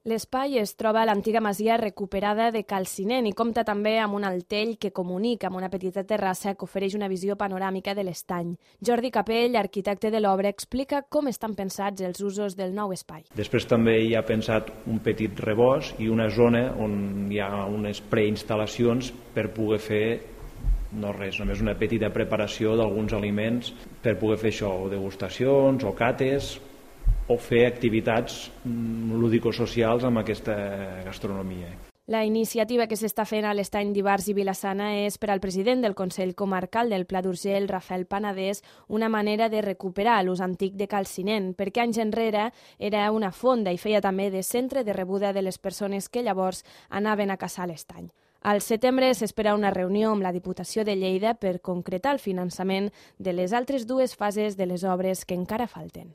L'espai es troba a l'antiga masia recuperada de Calcinent i compta també amb un altell que comunica amb una petita terrassa que ofereix una visió panoràmica de l'estany. Jordi Capell, arquitecte de l'obra, explica com estan pensats els usos del nou espai. Després també hi ha pensat un petit rebost i una zona on hi ha unes preinstal·lacions per poder fer no res, només una petita preparació d'alguns aliments per poder fer això, o degustacions o cates, o fer activitats lúdico-socials amb aquesta gastronomia. La iniciativa que s'està fent a l'estany d'Ivars i Vila-sana és per al president del Consell Comarcal del Pla d'Urgell, Rafael Panadés, una manera de recuperar l'ús antic de Calcinent, perquè anys enrere era una fonda i feia també de centre de rebuda de les persones que llavors anaven a caçar l'estany. Al setembre s'espera una reunió amb la Diputació de Lleida per concretar el finançament de les altres dues fases de les obres que encara falten.